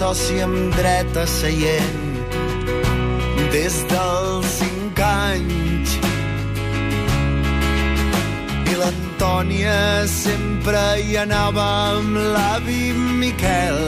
soci amb dret a seient des dels 5 anys. I l'Antònia sempre hi anava amb l'avi Miquel.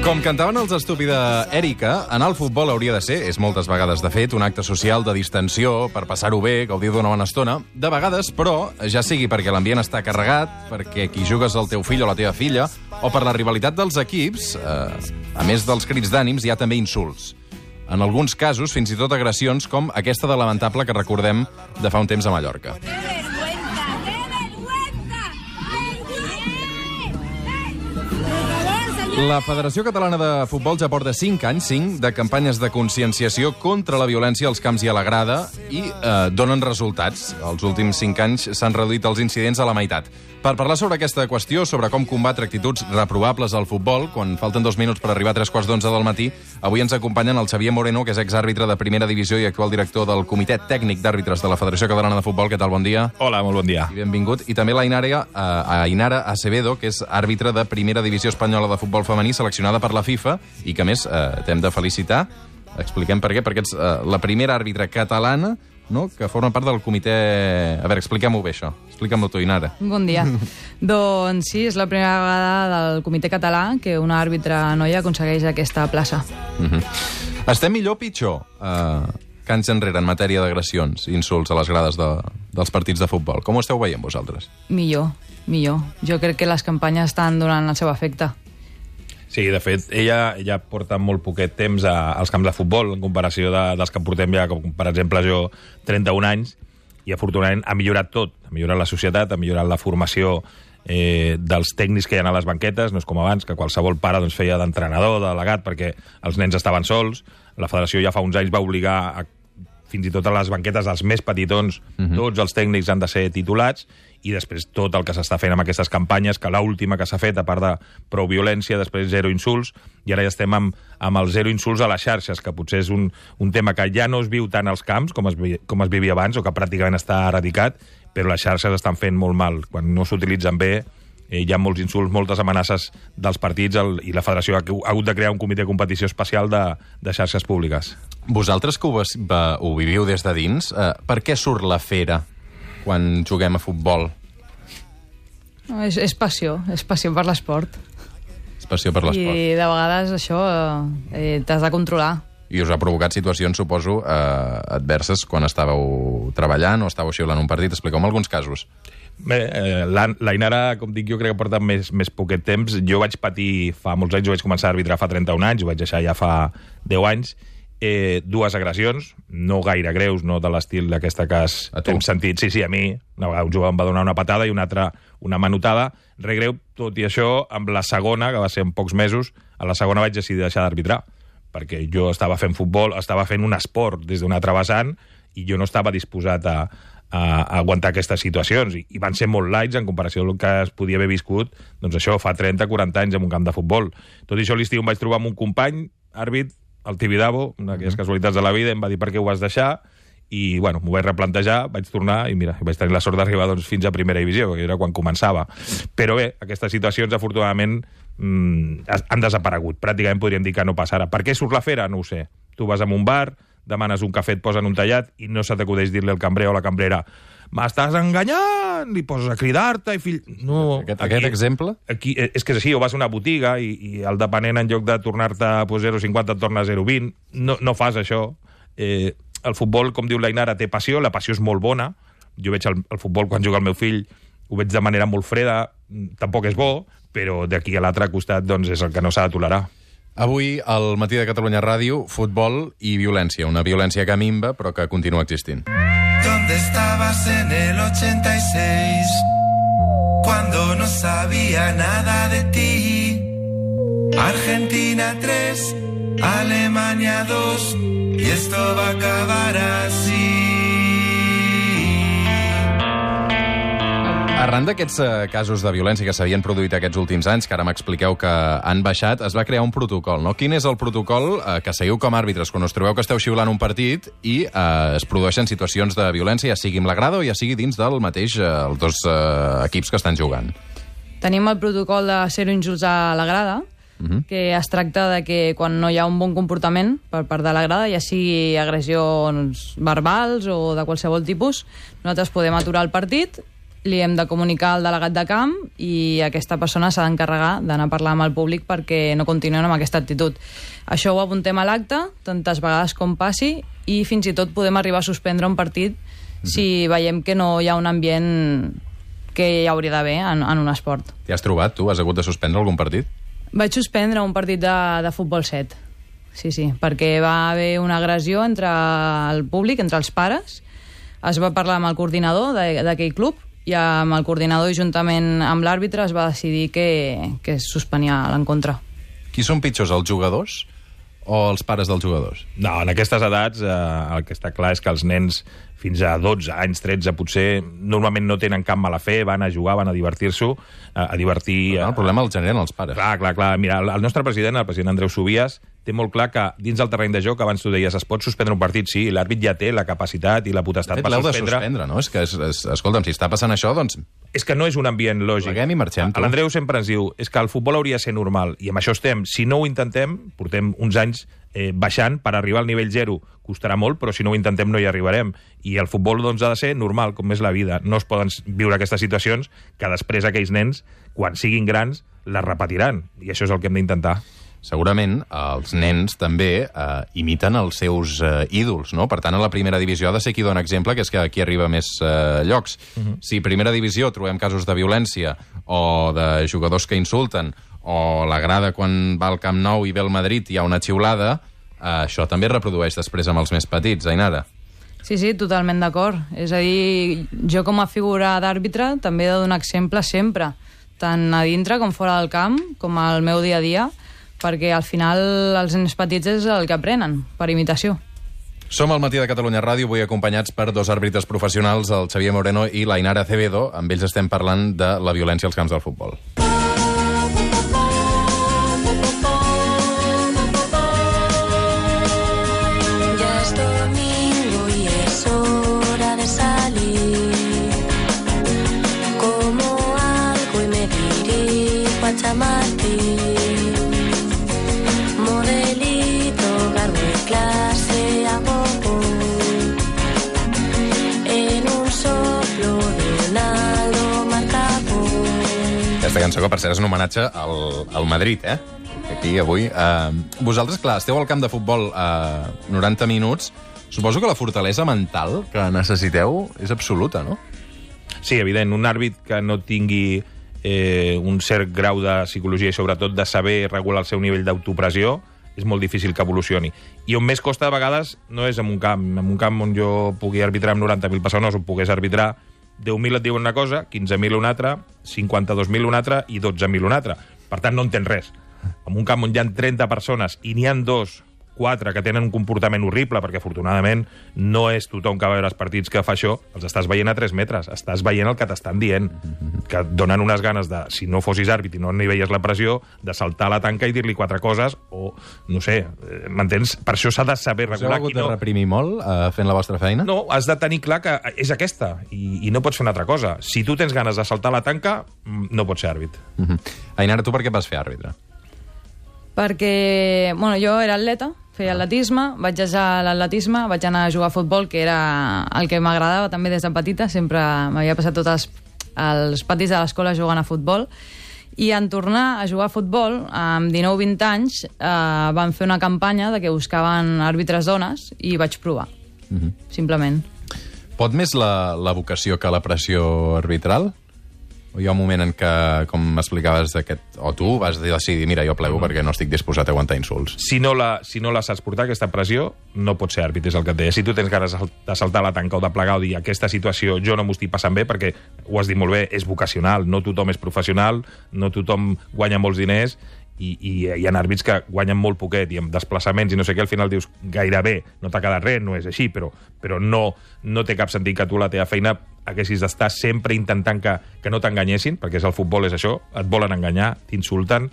Com cantaven els Estúpida Èrica, anar al futbol hauria de ser, és moltes vegades de fet, un acte social de distensió, per passar-ho bé, gaudir d'una bona estona. De vegades, però, ja sigui perquè l'ambient està carregat, perquè qui jugues el teu fill o la teva filla, o per la rivalitat dels equips, a més dels crits d'ànims, hi ha també insults. En alguns casos, fins i tot agressions com aquesta de lamentable que recordem de fa un temps a Mallorca. La Federació Catalana de Futbol ja porta 5 anys, 5, de campanyes de conscienciació contra la violència als camps i a la grada i donen resultats. Els últims 5 anys s'han reduït els incidents a la meitat. Per parlar sobre aquesta qüestió, sobre com combatre actituds reprovables al futbol, quan falten 2 minuts per arribar a 3:15 del matí, avui ens acompanyen el Xavier Moreno, que és exàrbitre de Primera Divisió i actual director del Comitè Tècnic d'Àrbitres de la Federació Catalana de Futbol. Què tal? Bon dia. Hola, molt bon dia. I benvingut. I també l'Ainara Acevedo, que és àrbitre de Primera Divisió Espanyola de Futbol Femení, seleccionada per la FIFA, i que, a més, t'hem de felicitar. Expliquem per què, perquè ets la primera àrbitre catalana, no?, que forma part del comitè... A veure, expliquem-ho bé, això. Explica'm-ho tu, Inara. Bon dia. Doncs sí, és la primera vegada del comitè català que una àrbitre noia aconsegueix aquesta plaça. Estem millor o pitjor que anys enrere en matèria d'agressions i insults a les grades dels partits de futbol? Com ho esteu veient vosaltres? Millor. Jo crec que les campanyes estan donant el seu efecte. Sí, de fet, ella porta molt poquet temps als camps de futbol, en comparació dels que portem ja, com per exemple jo, 31 anys, i afortunadament ha millorat tot. Ha millorat la societat, ha millorat la formació dels tècnics que hi ha a les banquetes. No és com abans, que qualsevol pare feia d'entrenador, de delegat, perquè els nens estaven sols. La federació ja fa uns anys va obligar fins i tot a les banquetes dels més petitons, tots els tècnics han de ser titulats, i després tot el que s'està fent amb aquestes campanyes, que l'última que s'ha fet, a part de prou violència, després zero insults, i ara ja estem amb el zero insults a les xarxes, que potser és un tema que ja no es viu tant als camps com es vivia abans, o que pràcticament està erradicat, però les xarxes estan fent molt mal. Quan no s'utilitzen bé, hi ha molts insults, moltes amenaces dels partits, i la federació ha hagut de crear un comitè de competició especial de xarxes públiques. Vosaltres que ho viviu des de dins, per què surt la fera quan juguem a futbol? No, és passió per l'esport. És passió per l'esport. I de vegades això t'has de controlar. I us ha provocat situacions, suposo, adverses quan estàveu treballant o estàveu xiulant un partit. Expliqueu-me alguns casos. Bé, la Inara, com dic jo, crec que porta més poquet temps. Jo vaig patir fa molts anys, jo vaig començar a arbitrar fa 31 anys, ho vaig deixar ja fa 10 anys, 2 agressions, no gaire greus, no de l'estil d'aquesta que hem sentit. Sí, a mi, una vegada un jove em va donar una patada i una altra una manotada, re greu. Tot i això, amb la segona, que va ser en pocs mesos, a la segona vaig decidir deixar d'arbitrar, perquè jo estava fent futbol, estava fent un esport des d'un altre vessant, i jo no estava disposat a aguantar aquestes situacions, i van ser molt lights en comparació amb el que es podia haver viscut, doncs això, fa 30-40 anys en un camp de futbol. Tot i això, l'estiu em vaig trobar amb un company, àrbit, el Tibidabo, una d'aquelles casualitats de la vida, em va dir per què ho vas deixar, i bueno, m'ho vaig replantejar, vaig tornar, i mira, vaig tenir la sort d'arribar fins a Primera Divisió, que era quan començava. Però bé, aquestes situacions, afortunadament, han desaparegut. Pràcticament podríem dir que no passarà. Per què surt la fera? No ho sé. Tu vas a un bar, demanes un cafè, et posen un tallat, i no se t'acudeix dir-li al cambrer o a la cambrera «M'estàs enganyant!» i poses a cridar-te i fill... No, aquest exemple? Aquí, és que és així, o vas a una botiga i el depenent, en lloc de tornar-te 0,50 et torna 0,20. No fas això. El futbol, com diu la Inara, té passió, la passió és molt bona. Jo veig el futbol quan juga el meu fill, ho veig de manera molt freda, tampoc és bo, però d'aquí a l'altre costat doncs, és el que no s'ha de tolerar. Avui, al Matí de Catalunya Ràdio, futbol i violència. Una violència que minva, però que continua existint. ¿Dónde estabas en el 86? Cuando no sabía nada de ti. Argentina 3, Alemania 2, y esto va a acabar así. Arran d'aquests casos de violència que s'havien produït aquests últims anys, que ara m'expliqueu que han baixat, es va crear un protocol, no? Quin és el protocol que seguiu com a àrbitres quan us trobeu que esteu xiulant un partit i es produeixen situacions de violència, ja sigui amb la grada o ja sigui dins del mateix els dos equips que estan jugant? Tenim el protocol de zero insults a la grada, que es tracta de que quan no hi ha un bon comportament per part de la grada, ja sigui agressions verbals o de qualsevol tipus, nosaltres podem aturar el partit, li hem de comunicar al delegat de camp i aquesta persona s'ha d'encarregar d'anar a parlar amb el públic perquè no continuïn amb aquesta actitud. Això ho apuntem a l'acte, tantes vegades com passi, i fins i tot podem arribar a suspendre un partit si veiem que no hi ha un ambient que hi hauria d'haver en un esport. T'hi has trobat, tu? Has hagut de suspendre algun partit? Vaig suspendre un partit de futbol 7. Sí, perquè va haver una agressió entre el públic, entre els pares. Es va parlar amb el coordinador d'aquell club i amb el coordinador i juntament amb l'àrbitre es va decidir que es suspenia l'encontre. Qui són pitjors, els jugadors o els pares dels jugadors? No, en aquestes edats el que està clar és que els nens fins a 12 anys, 13, potser normalment no tenen cap mala fe, van a jugar, van a divertir-s'ho, a divertir... El problema el generen els pares. Clar. Mira, el nostre president, el president Andreu Subias, té molt clar que dins del terreny de joc, abans tu deies, es pot suspendre un partit, sí, l'àrbit ja té la capacitat i la potestat per suspendre. De suspendre, no? És que, escolta'm, si està passant això, doncs... És que no és un ambient lògic. Pleguem i marxem. L'Andreu sempre ens diu, és que el futbol hauria de ser normal, i amb això estem. Si no ho intentem, portem uns anys baixant, per arribar al nivell 0 costarà molt, però si no ho intentem no hi arribarem. I el futbol doncs ha de ser normal, com és la vida. No es poden viure aquestes situacions que després aquells nens, quan siguin grans, les repetiran. I això és el que hem d'intentar. Segurament els nens també imiten els seus ídols, no? Per tant, a la primera divisió ha de ser qui dona exemple, que és que aquí arriba a més llocs. Si a primera divisió trobem casos de violència o de jugadors que insulten o la grada quan va al Camp Nou i ve el Madrid hi ha una xiulada, això també es reprodueix després amb els més petits, Ainara. Sí, totalment d'acord. És a dir, jo com a figura d'àrbitre també he de donar exemple sempre, tant a dintre com fora del camp, com al meu dia a dia, perquè al final els nens petits és el que aprenen, per imitació. Som al Matí de Catalunya Ràdio, avui acompanyats per dos àrbitres professionals, el Xavier Moreno i l'Ainara Acevedo. Amb ells estem parlant de la violència als camps del futbol. Aquesta cançó, que per cert és un homenatge al Madrid, aquí avui. Vosaltres, clar, esteu al camp de futbol 90 minuts. Suposo que la fortalesa mental que necessiteu és absoluta, no? Sí, evident. Un àrbit que no tingui un cert grau de psicologia i sobretot de saber regular el seu nivell d'autopressió és molt difícil que evolucioni. I on més costa de vegades no és en un camp on jo pugui arbitrar amb 90.000 persones, on pogués arbitrar 10.000 et diuen una cosa, 15.000 una altra, 52.000 una altra i 12.000 una altra. Per tant, no entens res. En un camp on hi ha 30 persones i n'hi ha 2, 4 que tenen un comportament horrible, perquè afortunadament no és tothom que va veure els partits que fa això, els estàs veient a 3 metres, estàs veient el que t'estan dient, que et donen unes ganes de, si no fossis àrbit i no n'hi veies la pressió, de saltar a la tanca i dir-li 4 coses, o, no sé, m'entens? Per això s'ha de saber regular. Us heu hagut de reprimir molt fent la vostra feina? No, has de tenir clar que és aquesta, i no pots fer una altra cosa. Si tu tens ganes de saltar a la tanca, no pots ser àrbit. Ainara, tu per què vas fer àrbitre? Perquè, jo era atleta, feia atletisme, vaig deixar l'atletisme, vaig anar a jugar a futbol, que era el que m'agradava també des de petita, sempre m'havia passat tots els patis de l'escola jugant a futbol, i en tornar a jugar a futbol, amb 19-20 anys, van fer una campanya de que buscaven àrbitres dones i vaig provar, simplement. Pot més la vocació que la pressió arbitral? O hi ha un moment en què, com m'explicaves, o tu vas decidir, mira, jo plego perquè no estic disposat a aguantar insults? Si no la saps portar, aquesta pressió, no pots ser àrbit, és el que et deia. Si tu tens ganes de saltar la tanca o de plegar o dir aquesta situació jo no m'ho estic passant bé, perquè ho has dit molt bé, és vocacional, no tothom és professional, no tothom guanya molts diners, i hi ha àrbits que guanyen molt poquet i amb desplaçaments i no sé què, al final dius gairebé, no t'ha quedat res, no és així, però no té cap sentit que tu la teva feina haguessis d'estar sempre intentant que no t'enganyessin, perquè el futbol és això, et volen enganyar, t'insulten,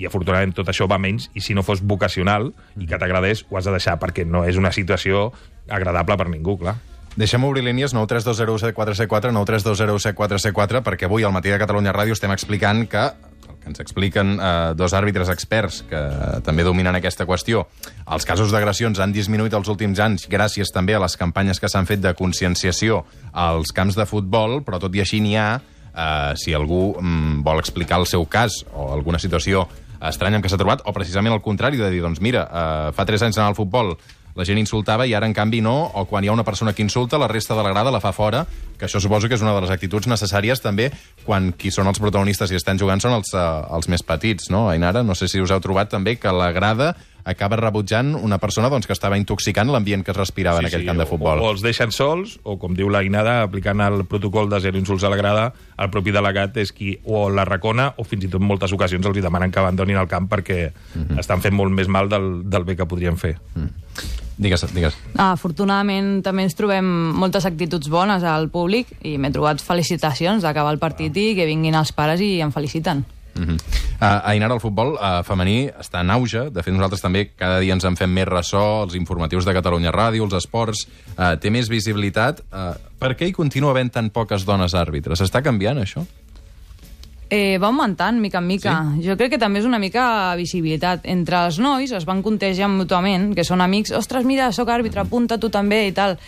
i afortunadament tot això va menys, i si no fos vocacional i que t'agradés, ho has de deixar, perquè no és una situació agradable per ningú, clar. Deixem obrir línies 932017474, 932017474, perquè avui al Matí de Catalunya Ràdio estem explicant que el que ens expliquen dos àrbitres experts que també dominen aquesta qüestió. Els casos d'agressions han disminuït els últims anys gràcies també a les campanyes que s'han fet de conscienciació als camps de futbol, però tot i així n'hi ha, si algú vol explicar el seu cas o alguna situació estranya en què s'ha trobat, o precisament el contrari, de dir, doncs mira, fa 3 anys anava al futbol, la gent insultava i ara, en canvi, no, o quan hi ha una persona que insulta, la resta de la grada la fa fora, que això suposo que és una de les actituds necessàries també quan qui són els protagonistes i estan jugant són els més petits, no? Ainara, no sé si us heu trobat també que la grada acaba rebutjant una persona doncs, que estava intoxicant l'ambient que es respirava en aquell camp de futbol. O els deixen sols, o com diu l'Ainada, aplicant el protocol de 0 insults a la grada, el propi delegat és qui o la recona o fins i tot en moltes ocasions els demanen que abandonin el camp perquè estan fent molt més mal del bé que podrien fer. Digues. Afortunadament també ens trobem moltes actituds bones al públic i m'he trobat felicitacions d'acabar el partit i que vinguin els pares i em feliciten. Ainara, el futbol femení està en auge. De fet, nosaltres també cada dia ens en fem més ressò, els informatius de Catalunya Ràdio, els esports, té més visibilitat. Per què hi continua havent tan poques dones àrbitres? Està canviant, això? Va augmentant, mica en mica. Sí? Jo crec que també és una mica visibilitat. Entre els nois es van contagiant mútuament, que són amics, ostres, mira, sóc àrbitre, apunta tu també i tal.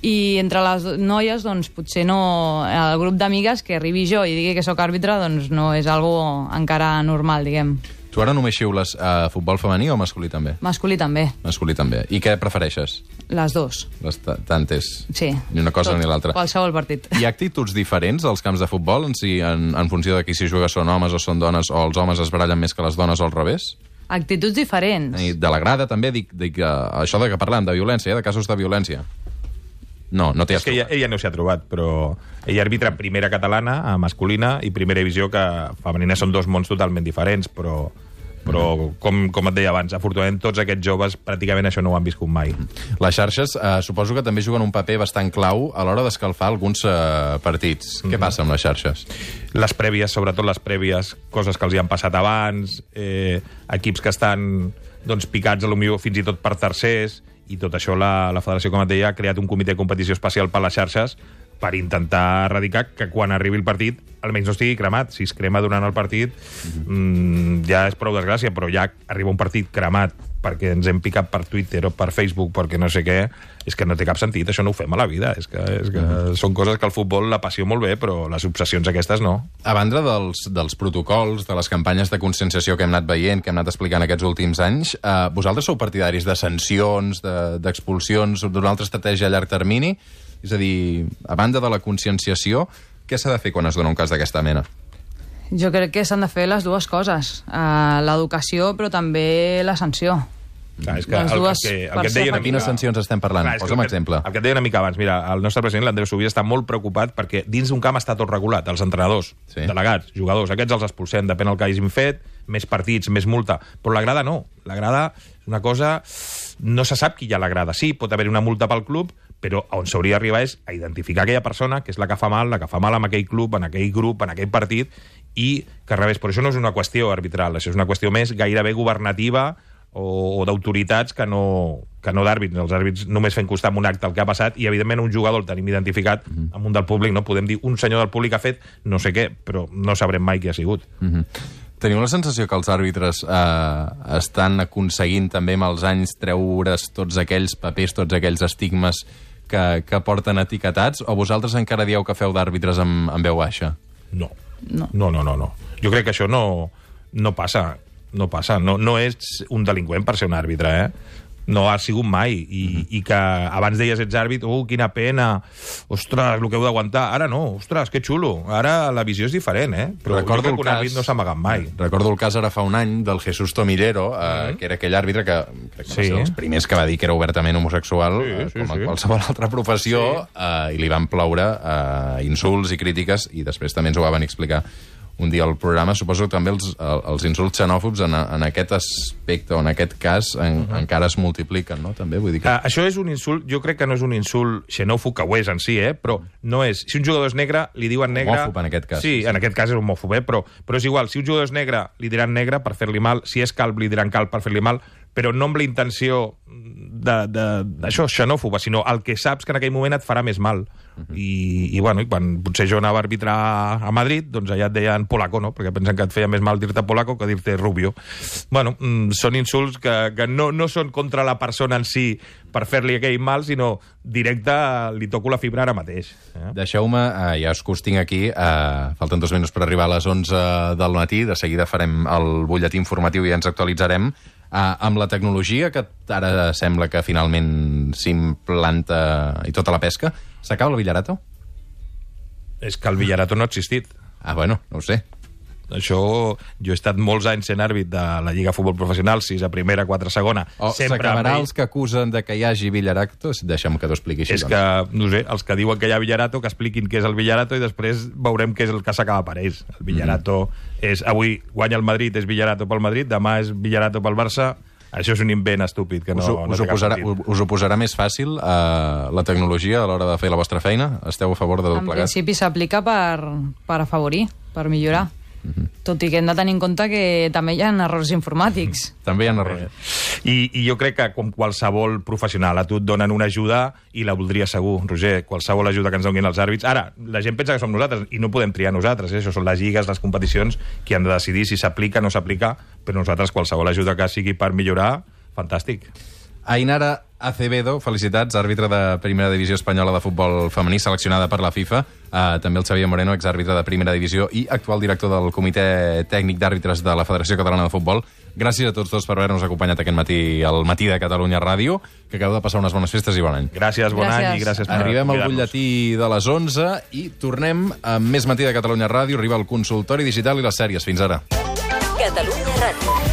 I entre les noies, doncs, potser no... El grup d'amigues que arribi jo i digui que sóc àrbitre, doncs no és algo encara normal, diguem. Tu ara només xiules futbol femení o masculí també? Masculí també. Masculí també. I què prefereixes? Les dues. Les tantes? Sí. Ni una cosa ni l'altra. Qualsevol partit. Hi ha actituds diferents als camps de futbol en funció de qui s'hi juga són homes o són dones, o els homes es barallen més que les dones o al revés? Actituds diferents. I de la grada també, dic això de que parlem de violència, de casos de violència. No t'hi has trobat. Ella no s'hi ha trobat, però ella arbitra primera catalana, masculina, i primera divisió, que femenina són dos mons totalment diferents, però com et deia abans, afortunadament tots aquests joves pràcticament això no ho han viscut mai. Les xarxes suposo que també juguen un paper bastant clau a l'hora d'escalfar alguns partits. Què passa amb les xarxes? Les prèvies, sobretot les prèvies, coses que els hi han passat abans, equips que estan picats potser fins i tot per tercers, i tot això la federació, com et deia, ha creat un comitè de competició especial per les xarxes per intentar erradicar que quan arribi el partit almenys no estigui cremat. Si es crema durant el partit ja és prou desgràcia, però ja arriba un partit cremat perquè ens hem picat per Twitter o per Facebook perquè no sé què, és que no té cap sentit, això no ho fem a la vida, és que són coses que el futbol la passió molt bé, però les obsessions aquestes no. A banda dels protocols, de les campanyes de conscienciació que hem anat veient, que hem anat explicant aquests últims anys, vosaltres sou partidaris de sancions, d'expulsions, d'una altra estratègia a llarg termini? És a dir, a banda de la conscienciació, què s'ha de fer quan es dona un cas d'aquesta mena? Jo crec que s'han de fer les dues coses. L'educació, però també la sanció. Clar, és que el que et deia de quines sancions estem parlant? Posa'm exemple. El que et deia una mica abans, mira, el nostre president, l'Andreu Subirà, està molt preocupat perquè dins d'un camp està tot regulat, els entrenadors, delegats, jugadors, aquests els expulsem, depèn del que hagin fet, més partits, més multa, però la grada no. La grada és una cosa... No se sap qui hi ha a la grada. Sí, pot haver una multa pel club, però on s'hauria d'arribar és a identificar aquella persona que és la que fa mal amb aquell club, en aquell grup, en aquell partit, i que al revés. Però això no és una qüestió arbitral, això és una qüestió més gairebé governativa o d'autoritats que no d'àrbits. Els àrbits només fent costar amb un acte el que ha passat i, evidentment, un jugador el tenim identificat amb un del públic, no? Podem dir un senyor del públic ha fet no sé què, però no sabrem mai qui ha sigut. Teniu la sensació que els àrbitres estan aconseguint també amb els anys treure's tots aquells papers, tots aquells estigmes que porten etiquetats, o vosaltres encara dieu que feu d'àrbitres amb veu baixa? No. Jo crec que això no passa. No ets un delinqüent per ser un àrbitre, No ha sigut mai. I que abans deies ets àrbitre, quina pena, ostres, el que heu d'aguantar. Ara no, ostres, que xulo. Ara la visió és diferent, Però recordo que un àrbit no s'ha amagat mai. Recordo el cas ara fa un any del Jesús Tomillero, que era aquell àrbitre que crec que va ser dels primers que va dir que era obertament homosexual, com a qualsevol altra professió, i li van ploure insults i crítiques, i després també ens ho va venir a explicar un dia al programa. Suposo que també els insults xenòfobs en aquest aspecte o en aquest cas encara es multipliquen, no? També, vull dir que... Això és un insult, jo crec que no és un insult xenòfob, que ho és en si, però no és... Si un jugador és negre, li diuen negre... Homòfob, en aquest cas. Sí, en aquest cas és homòfob, però és igual. Si un jugador és negre, li diran negre per fer-li mal. Si és calb, li diran calb per fer-li mal. però no amb la intenció d'això, xenòfoba, sinó el que saps que en aquell moment et farà més mal. I quan potser jo anava a arbitrar a Madrid, doncs allà et deien polaco, no? Perquè pensen que et feia més mal dir-te polaco que dir-te rubio. Són insults que no són contra la persona en si per fer-li aquell mal, sinó directe li toco la fibra ara mateix. Deixeu-me, ja us tinc aquí, falten 2 minuts per arribar a les 11 del matí, de seguida farem el butlletí informatiu i ens actualitzarem. Amb la tecnologia que ara sembla que finalment s'implanta i tota la pesca, s'acaba el Villarato? És que el Villarato no ha existit. Bueno, no ho sé. Això, jo he estat molts anys sent àrbit de la Lliga Futbol Professional, 6 a primera, 4 a segona. S'acabarà els que acusen de que hi hagi Villarato? Deixa'm que t'ho expliqui així. És que, no sé, els que diuen que hi ha Villarato, que expliquin què és el Villarato i després veurem què és el que s'acaba per ells. El Villarato és... Avui guanya el Madrid, és Villarato pel Madrid, demà és Villarato pel Barça. Això és un invent estúpid que no té cap sentit. Us ho posarà més fàcil la tecnologia a l'hora de fer la vostra feina? Esteu a favor de tot plegat? En principi s'aplica per afavorir, per millorar. Tot i que hem de tenir en compte que també hi ha errors informàtics. També hi ha errors. I jo crec que com qualsevol professional, a tu et donen una ajuda i la voldria segur, Roger, qualsevol ajuda que ens donin els àrbits. Ara, la gent pensa que som nosaltres i no podem triar nosaltres, això són les lligues, les competicions, qui han de decidir si s'aplica o no s'aplica, però nosaltres qualsevol ajuda que sigui per millorar, fantàstic. Ainara Acevedo, felicitats, àrbitre de Primera Divisió Espanyola de Futbol Femení, seleccionada per la FIFA. També el Xavier Moreno, exàrbitre de Primera Divisió i actual director del Comitè Tècnic d'Àrbitres de la Federació Catalana de Futbol. Gràcies a tots dos per haver-nos acompanyat aquest matí al Matí de Catalunya Ràdio, que acabeu de passar unes bones festes i bon any. Gràcies, bon any i gràcies per Arribem al butlletí de les 11 i tornem amb més Matí de Catalunya Ràdio. Arriba el consultori digital i les sèries. Fins ara. Catalunya Ràdio.